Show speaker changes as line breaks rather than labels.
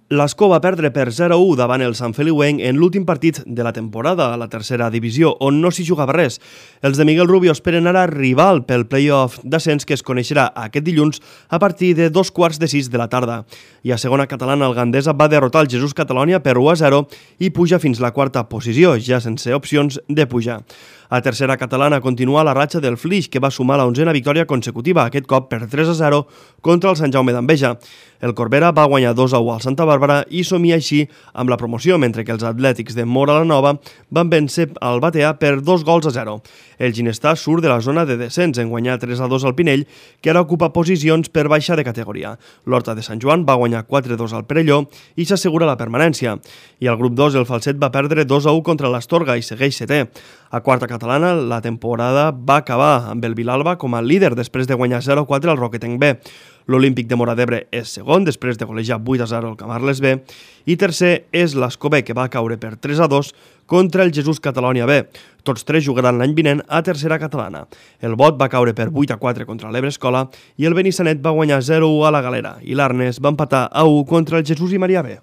L'Escó va perdre per 0-1 davant el Sant Feliuenc en l'últim partit de la temporada a la tercera divisió, on no s'hi jugava res. Els de Miguel Rubio esperen ara rival pel play-off d'ascens que es coneixerà aquest dilluns a partir de 2:15 de la tarda. I a segona catalana, el Gandesa va derrotar el Jesús Catalonia per 1-0 i puja fins la quarta posició, ja sense opcions de pujar. A tercera catalana continua la ratxa del Flix, que va sumar la 11a victòria consecutiva, aquest cop per 3-0 contra el Sant Jaume d'Enveja. El Corbera va guanyar 2-1 al Santa Bàrbara i somia així amb la promoció, mentre que els Atlètics de Móra la Nova van vèncer el Batea per 2-0. El Ginestar surt de la zona de descens en guanyar 3-2 al Pinell, que ara ocupa posicions per baixa de categoria. L'Horta de Sant Joan va guanyar 4-2 al Perelló i s'assegura la permanència. I al grup 2 el Falset va perdre 2-1 contra l'Astorga i segueix setè. A quarta catalana, la temporada va acabar amb el Vilalba com a líder després de guanyar 0-4 al Roquetenc B. L'Olímpic de Móra d'Ebre és segon després de golejar 8-0 al Camarles B i tercer és l'Escó B, que va caure per 3-2 contra el Jesús Catalonia B. Tots tres jugaran l'any vinent a tercera catalana. El Bot va caure per 8-4 contra l'Ebre Escola i el Benissanet va guanyar 0-1 a la Galera i l'Arnes va empatar a 1 contra el Jesús i Maria B.